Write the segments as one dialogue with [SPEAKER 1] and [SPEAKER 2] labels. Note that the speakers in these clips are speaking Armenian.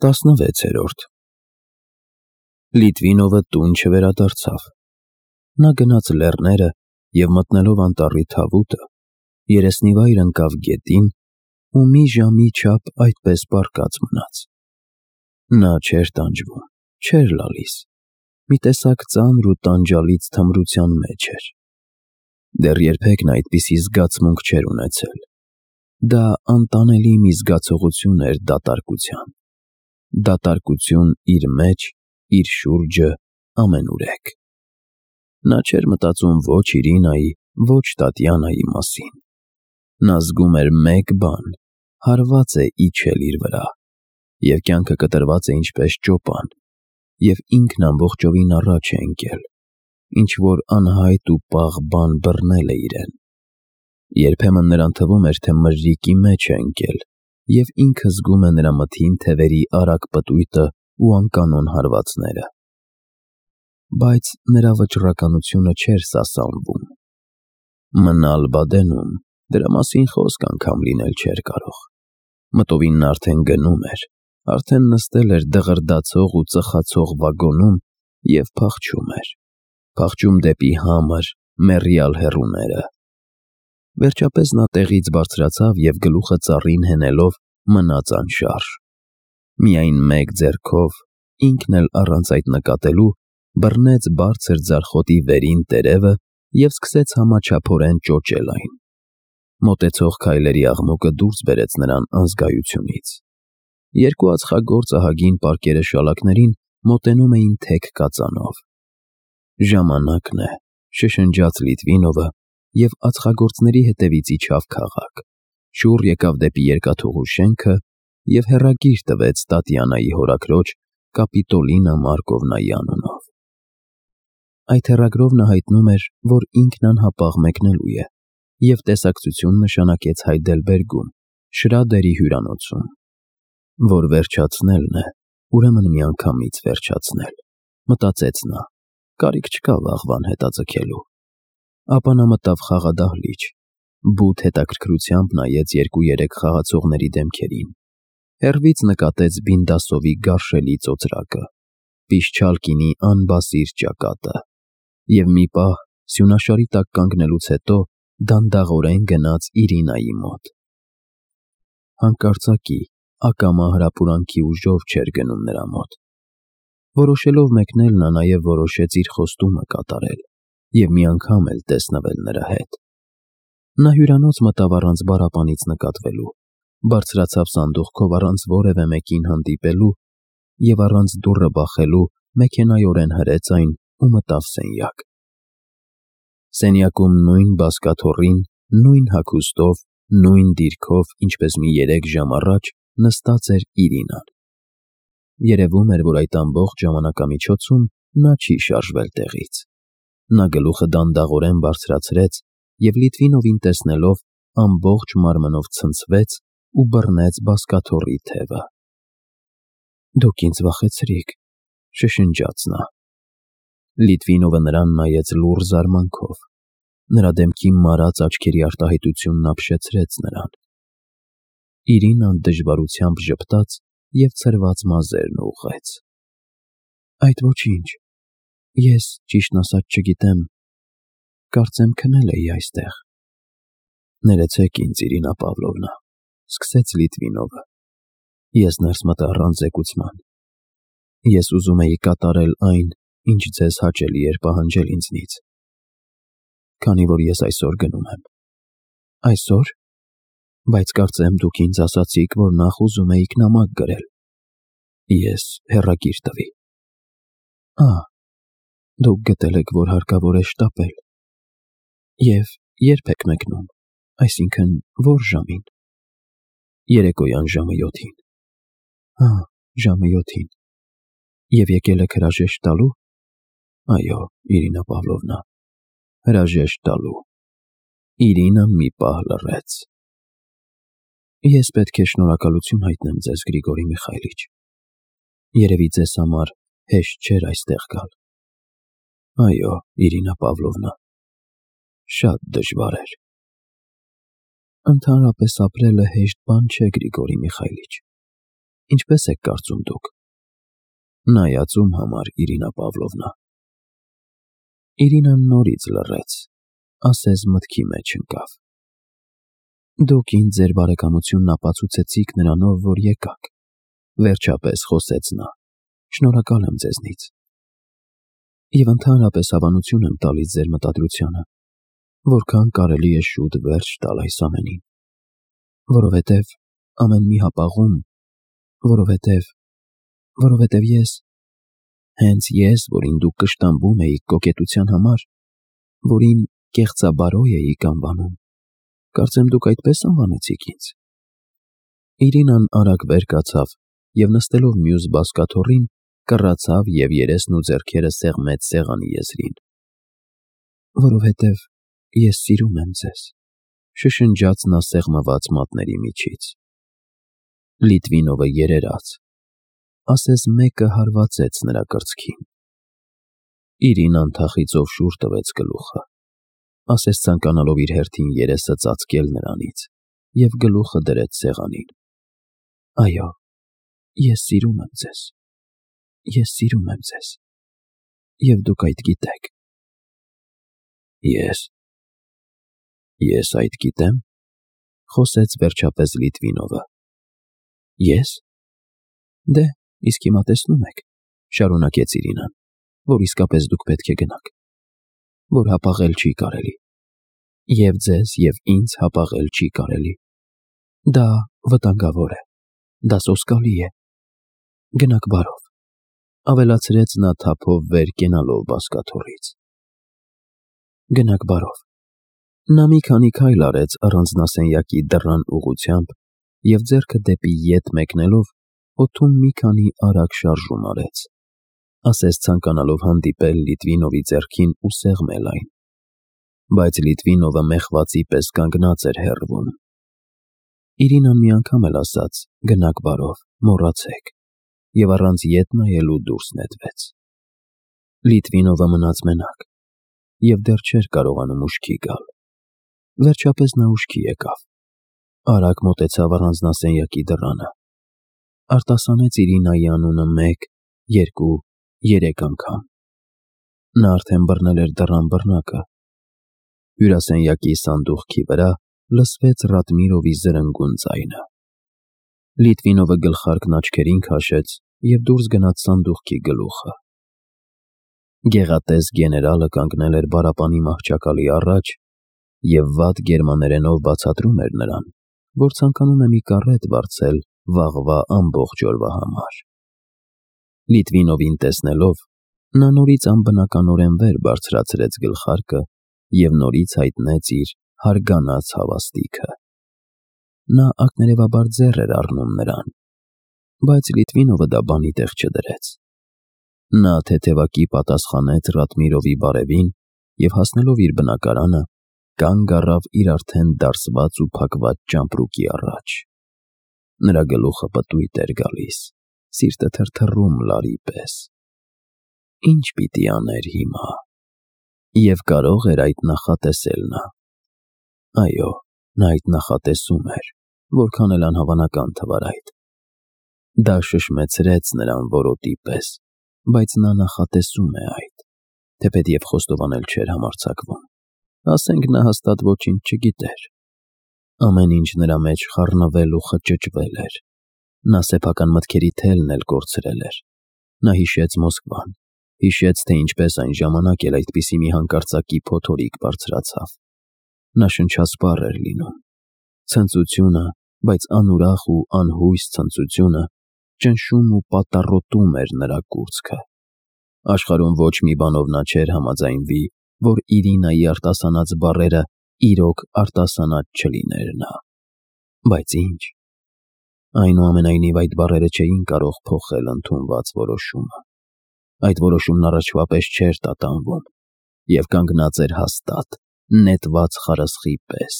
[SPEAKER 1] 16-րդ Լիտվինովը տուն չվերադարձավ։ Նա գնաց լեռները և մտնելով անտառի թավուտը, երեսնիվայր ընկավ գետին ու մի ժամի չափ այդպես պառկած մնաց։ Նա չէր տանջվում, չէր լալիս, մի տեսակ ծանր ու տանջալից թմրության մեջ էր։ Դեռ երբեք նա այդպիսի զգացմունք չէր ունեցել։ Դա անտանելի մի զգացողություն էր դատարկություն իր մեջ, իր շուրջը, ամենուրեք։ Նա չէր մտածում ոչ Իրինայի, ոչ Տատյանայի մասին։ Նա զգում էր մեկ բան՝ հարված է իջել իր վրա, և կյանքը կտրված է ինչպես ճոպան, և ինքն ամբողջովին առաջ է ընկել, ինչ-որ անհայտ ու պաղ բան բռնել է իրեն։ Երբեմն նրան թվում էր, թե մրրիկի մեջ է ընկել, և ինքը զգում է նրա մթին թևերի արագ պտույտը ու անկանոն հարվածները։ Բայց նրա վճռականությունը չէր սասանվում։ Մնալ Բադենում, դրա մասին խոսք անգամ լինել չէր կարող։ Մտովին նա արդեն գնում էր, արդեն նստել էր դղրդացող ու ծխացող վագոնում և փախչում դեպի համր, մեռյալ հեռուները։ Վերջապես նա տեղից բարձրացավ և գլուխը ծառին հենելով մնաց անշարժ։ Միայն մեկ ձեռքով, ինքն էլ առանց այդ նկատելու, բռնեց բարձր ձարխոտի վերին տերևը և սկսեց համաչափորեն ճոճել այն։ Մոտեցող քայլերի աղմուկը դուրս բերեց նրան անզգայությունից։ Երկու ածխագործ ահագին պարկերը շալակներին մոտենում էին թեք կածանով։ «Ժամանակն է», շշնջաց Լիտվինովը և ածխագործների հետևից իջավ քաղաք, շուռ եկավ դեպի երկաթուղու շենքը և հեռագիր տվեց Տատյանայի հորաքրոջ Կապիտոլինա Մարկովնայի անունով։ Այդ հեռագրով նա հայտնում էր, որ ինքն անհապաղ մեկնելու է, և տեսակցություն նշանակեց Հայդելբերգում, Շրադերի հյուրանոցում։ Որ վերջացնելն է, ուրեմն միանգամից վերջացնել, մտածեց նա, կարիք չկա վաղվան հետաձգելու։ Ապա նա մտավ խաղադահլիճ, բութ հետաքրքրությամբ նայեց 2-3 խաղացողների դեմքերին, հեռվից նկատեց Բինդասովի գարշելի ծոծրակը, Պիշչալկինի անբասիր ճակատը և մի պահ, սյունաշարի տակ կանգնելուց հետո, դանդաղորեն գնաց Իրինայի մոտ։ Հանկարծակի, ակամա հրապուրանքի ուժով չէր գնում նրա մոտ։ Որոշելով մեկնել, նա նաև որոշեց իր խոստումը կատարել և մի անգամ էլ տեսնվել նրա հետ։ Նա հյուրանոց մտավ առանց բառապանից նկատվելու, բարձրացավ սանդուղքով առանց որևէ մեկին հանդիպելու և առանց դուռը բախելու մեքենայորեն հրեց այն ու մտավ սենյակ։ Սենյակում նույն բազկաթոռին, նույն հագուստով, նույն դիրքով, ինչպես մի 3 ժամ առաջ, նստած էր Իրինան։ Երևում էր, որ այդ ամբողջ ժամանակամիջոցում նա չի շարժվել տեղից։ Նա գլուխը դանդաղորեն բարձրացրեց և Լիտվինովին տեսնելով ամբողջ մարմնով ցնցվեց ու բռնեց բազկաթոռի թևը։ «Դուք ինձ վախեցրիք», շշնջաց նա։ Լիտվինովը նրան նայեց լուռ զարմանքով։ Նրա դեմքի մարած աչքերի արտահայտությունն ապշեցրեց նրան։ Իրինան դժվարությամբ ժպտաց և ցրված մազերն ուղղեց։ «Այդ ոչինչ, ես, ճիշտն ասած, չգիտեմ, կարծեմ քնել էի այստեղ»։ «Ներեցեք ինձ, Իրինա Պավլովնա», սկսեց Լիտվինովը։ «Ես ներս մտա առանց զեկուցման։ Ես ուզում էի կատարել այն, ինչ ձեզ հաճելի էր պահանջել ինձնից։ Քանի որ ես այսօր գնում եմ»։ «Այսօր, բայց կարծեմ դուք ինձ ասացիք, որ նախ ուզում էիք նամակ գրել»։ «Ես հեռագիր տվի»։ Դուք գտել եք, որ հարկավոր է շտապել։ Եվ ե՞րբ եք մեկնում, այսինքն ո՞ր ժամին։ Երեկոյան ժամը 7-ին։ Ժամը 7-ին։ Եվ եկել եք հրաժեշտ տալու։ Այո, Իրինա Պավլովնա, հրաժեշտ տալու։ Իրինան մի պահ լռեց։ Ես պետք է շնորհակալություն հայտնեմ ձեզ, Գրիգորի Միխայիլիչ։ Երևի ձեզ համար հեշտ չէր այստեղ գալ։ Այո, Իրինա Պավլովնա, շատ դժվար էր։ Ընդհանրապես ապրելը հեշտ բան չէ, Գրիգորի Միխայիլիչ։ Ինչպես եք կարծում դուք։ Նայած ում համար, Իրինա Պավլովնա։ Իրինան նորից լռեց, ասես մտքի մեջ ընկավ։ Դուք ինձ ձեր բարեկամությունն ապացուցեցիք նրանով, որ եկաք։ Վերջապես խոսեց նա։ Շնորհակալ եմ ձեզնից։ Եվ ընդհանրապես հավանություն եմ տալիս ձեր մտադրությանը, որքան կարելի է շուտ վերջ տալ այս ամենին։ Որովհետև ամեն մի հապաղում, որովհետև ես, հենց ես, որին դուք կշտամբում էիք կոկետության համար, որին կեղծաբարոյ էիք անվանում, կարծեմ դուք այդպես անվանեցիք ինձ։ Իրինան արագ վեր կացավ և նստելով մյուս բազկաթոռին, կռացավ և երեսն ու ձեռքերը սեղմեց սեղանի եզրին։ Որովհետև ես սիրում եմ ձեզ, շշնջաց նա սեղմված մատների միջից։ Լիտվինովը երերաց, ասես մեկը հարվածեց նրա կրծքին։ Իրինան թախիծով շուռ տվեց գլուխը, ասես ցանկանալով իր հերթին երեսը ծածկել նրանից, և գլուխը դրեց սեղանին։ Այո, ես սիրում եմ ձեզ, և դուք այդ գիտեք։ Ես այդ գիտեմ, խոսեց վերջապես Լիտվինովը։ Ես։ Դե, իսկ հիմա տեսնում եք, շարունակեց Իրինան, որ իսկապես դուք պետք է գնաք, որ հապաղել չի կարելի, և ձեզ և ինձ հապաղել չի կարելի։ Դա վտանգավոր է, դա սոսկալի է։ Գնաք բարով, ավելացրեց նա թափով վեր կենալով բազկաթոռից։ Գնաք բարով։ Նա մի քանի քայլ արեց առանձնասենյակի դռան ուղղությամբ և ձեռքը դեպի ետ մեկնելով օդում մի քանի արագ շարժում արեց, ասես ցանկանալով հանդիպել Լիտվինովի ձեռքին ու սեղմել այն։ Բայց Լիտվինովը մեղվածի պես կանգնած էր հեռվում։ Իրինան մի անգամ էլ ասաց «գնաք բարով, մոռացեք» և առանց ետ նայելու դուրս նետվեց։ Լիտվինովը մնաց մենակ և դեռ չէր կարողանում ուշքի գալ։ Վերջապես նա ուշքի եկավ, արագ մոտեցավ առանձնասենյակի դռանը, արտասանեց Իրինայի անունը 1, 2, 3 անգամ։ Նա արդեն բռնել էր դռան բռնակը։ Հյուրասենյակի սանդուղքի վրա լսվեց Ռադմիրովի զրնգուն ձայնը։ Լիտվինովը գլխարկն աչքերին քաշեց և դուրս գնաց սանդուղքի գլուխը։ Գեղատես գեներալը կանգնել էր բարապանի մահճակալի առաջ և վատ գերմաներենով բացատրում էր նրան, որ ցանկանում է մի կարետ վարձել վաղվա ամբողջ օրվա համար։ Լիտվինովին տեսնելով, նա նորից անբնականորեն վեր բարձրացրեց գլխարկը և նորից հայտնեց իր հարգանած հավաստիքը։ Նա ակներևաբար ձեռ էր առնում նրան, բայց Լիտվինովը դա բանի տեղ չդրեց։ Նա թեթևակի պատասխանեց Ռադմիրովի բարևին և հասնելով իր բնակարանը, կանգ առավ իր արդեն դարսված ու փակված ճամպրուկի առաջ։ Նրա գլուխը պտույտ էր գալիս, սիրտը թրթռում լարի պես։ Ինչ պիտի աներ հիմա։ Եվ կարող էր այդ նախատեսել նա։ Այո, նա այդ նախատեսում էր, որքան էլ անհավանական թվար այդ։ Դա շշմեցրեց նրան որոտի պես, բայց նա նախատեսում է այդ, թեպետև խոստովանել չէր համարձակվում։ Ասենք նա հաստատ ոչինչ չգիտեր։ Ամեն ինչ նրա մեջ խառնվել ու խճճվել էր։ Նա սեփական մտքերի թելն էլ կորցրել էր։ Նա հիշեց Մոսկվան, հիշեց, թե ինչպես այն ժամանակ էլ այդպիսի մի հանկարծակի փոթորիկ բարձրացավ։ Նա շնչասպառ էր լինում։ Ցնծությունը, բայց անուրախ ու անհույս ցնծությունը, ճնշում ու պատառոտում էր նրա կուրծքը։ Աշխարհում ոչ մի բանով նա չէր համաձայնվի, որ Իրինայի արտասանած բառերը իրոք արտասանած չլիներ նա։ Բայց ինչ։ Այնուամենայնիվ այդ բառերը չէին կարող փոխել ընդունված որոշումը։ Այդ որոշումն առաջվա պես չէր տատանվում և կանգնած էր հաստատ, նետված խարսխի պես։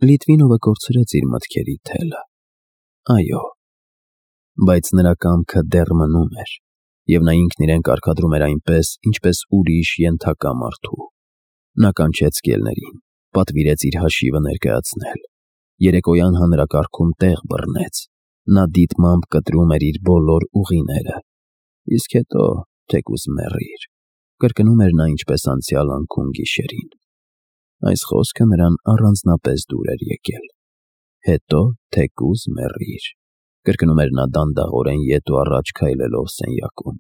[SPEAKER 1] Լիտվինովը կորցրեց իր մտքերի թելը։ Այո, բայց նրա կամքը դեռ մնում էր, և նա ինքն իրեն կարգադրում էր այնպես, ինչպես ուրիշ ենթակա մարդու։ Նա կանչեց կելներին, պատվիրեց իր հաշիվը ներկայացնել։ Երեկոյան հանրակարգում տեղ բռնեց, Նա դիտմամբ կտրում էր իր բոլոր ուղիները, իսկ հետո թեկուզ մեռիր, կրկնում էր նա ինչպես անցյալ անքուն գիշերին։ Այս խոսքը նրան առանձնապես դուր էր եկել։ Հետո թեկուզ մեռիր, կրկնում էր նա դանդաղորեն ետ ու առաջ քայլելով սենյակում։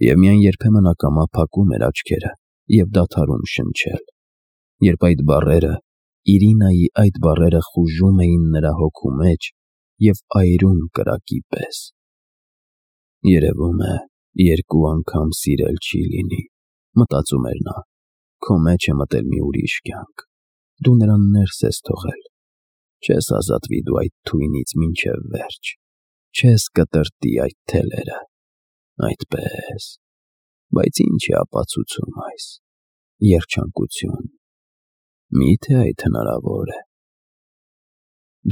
[SPEAKER 1] Եվ միայն երբեմն ակամա փակում էր աչքերը և դադարում շնչել, երբ այդ բառերը, Իրինայի այդ բառերը խուժում էին նրա հոգու մեջ և այրում կրակի պես։ Երևում է, երկու անգամ սիրել չի լինի, մտածում էր նա, քո մեջ է մտել մի ուրիշ կյանք, դու նրան ներս ես թողել, չես ազատվի դու այդ թույնից մինչև վերջ, չես կտրտի այդ թելերը, այդպես, բայց ինչ է ապացուցում այս, երջանկություն, միթե այդ հնարավոր է։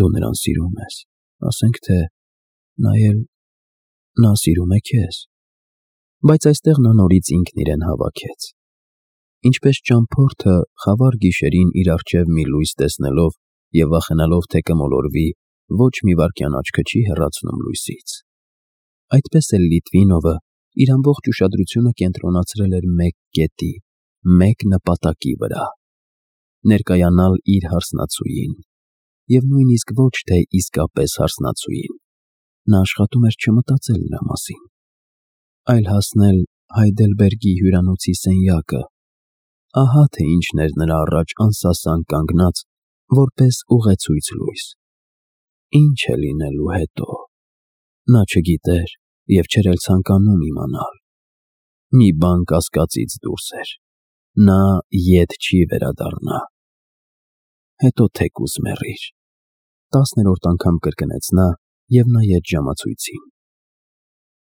[SPEAKER 1] Դու նրան սիրում ես, ասենք թե նա սիրում է քեզ, բայց այստեղ նա նորից ինքն իրեն հավաքեց։ Ինչպես ճամփորդը խավար գիշերին իր առջև մի լույս տեսնելով և վախենալով թե կմոլորվի, ոչ մի վայրկյան աչքը չի հեռացնում լույսից, այդպես էլ Լիտվինովը իր ամբողջ ուշադրությունը կենտրոնացրել էր մեկ կետի, մեկ նպատակի վրա՝ ներկայանալ իր հարսնացուին, և նույնիսկ ոչ թե իսկապես հարսնացուին, նա աշխատում էր չմտածել նրա մասին, այլ հասնել Հայդելբերգի հյուրանոցի սենյակը, ահա թե ինչն էր նրա առաջ անսասան կանգնած, որպես ուղեցույց լույս։ Ինչ է լինելու հետո, նա չգիտեր և չէր էլ ցանկանում իմանալ։ Մի բան կասկածից դուրս էր, նա ետ չի վերադառնա։ Հետո թեկուզ մեռիր, 10-րդ անգամ կրկնեց նա և նայեց ժամացույցին։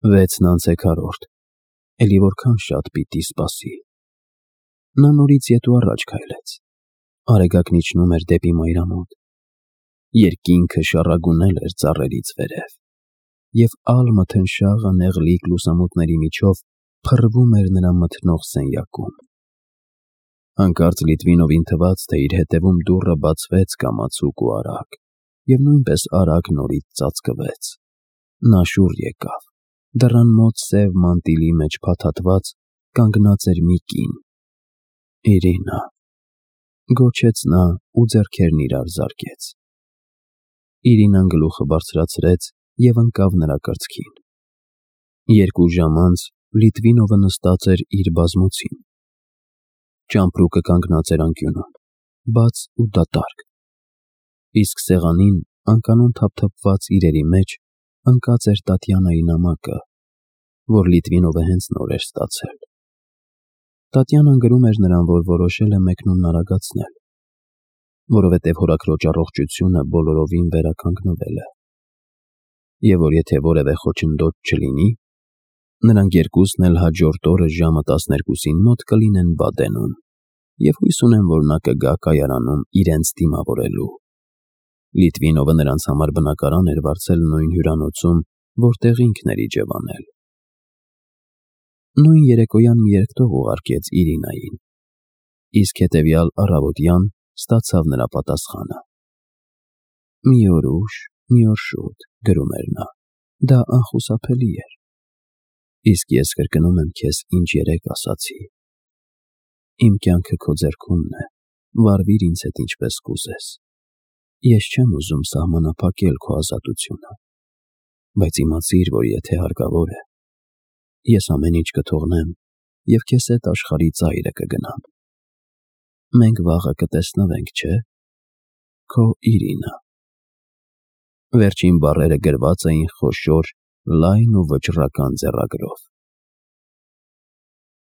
[SPEAKER 1] 6:40, էլի որքան շատ պիտի սպասի։ Նա նորից ետ ու առաջ քայլեց, արեգակն իջնում էր դեպի մայրամուտ, երկինքը շառագունել էր ծառերից վերև, և ալ-մթնշաղը նեղլիկ լուսամուտների միջով փռվում էր նրա մթնող սենյակում։ Հանկարծ Լիտվինովին թվաց, թե իր հետևում դուռը բացվեց կամացուկ ու արագ, և նույնպես արագ նորից ծածկվեց։ Նա շուռ եկավ, դռան մոտ սև մանտիլի մեջ փաթաթված կանգնած էր մի կին։ Իրինա, գոչեց նա ու ձեռքերն իրար զարկեց։ Իրինան գլուխը բարձրացրեց և ընկավ նրա կրծքին։ 2 ժամ անց Լիտվինովը նստած էր իր բազմոցին։ Ճամպրուկը կանգնած էր անկյունում, բաց ու դատարկ, իսկ սեղանին, անկանոն թափթփված իրերի մեջ, ընկած էր Տատյանայի նամակը, որ Լիտվինովը հենց նոր էր ստացել։ Տատյանան գրում էր նրան, որ որոշել է մեկնումն արագացնել, որովհետև հորաքրոջ առողջությունը բոլորովին վերականգնվել է, և որ եթե որևէ խոչընդոտ չլինի, նրանք երկուսն էլ հաջորդ օրը ժամը 12-ին մոտ կլինեն Բադենում, և հույս ունեն, որ նա կգա կայարանում իրենց դիմավորելու։ Լիտվինովը նրանց համար բնակարան էր վարձել նույն հյուրանոցում, որտեղ ինքն էր իջևանել։ Նույն երեկոյան մի երգտող ուղարկեց Իրինային, իսկ հետևյալ առավոտյան ստացավ նրա պատասխանը։ «Մի օր ուշ, մի օր շուտ», գրում էր նա, դա անխուսափելի էր։ Իսկ ես կրկնում եմ քեզ, ինչ երեկ ասացի։ Իմ կյանքը քո ձեռքումն է, վարվիր ինձ հետ ինչպես կուզես։ Ես չեմ ուզում սահմանափակել քո ազատությունը, բայց իմացիր, որ եթե հարկավոր է, ես ամեն ինչ կթողնեմ և քեզ հետ աշխարհի ծայրը կգնամ։ Մենք վաղը կտեսնվենք, չէ՞։ Քո Իրինա։ Վերջին բառերը գրված էին խոշոր, լայն ու վճռական ձեռագրով։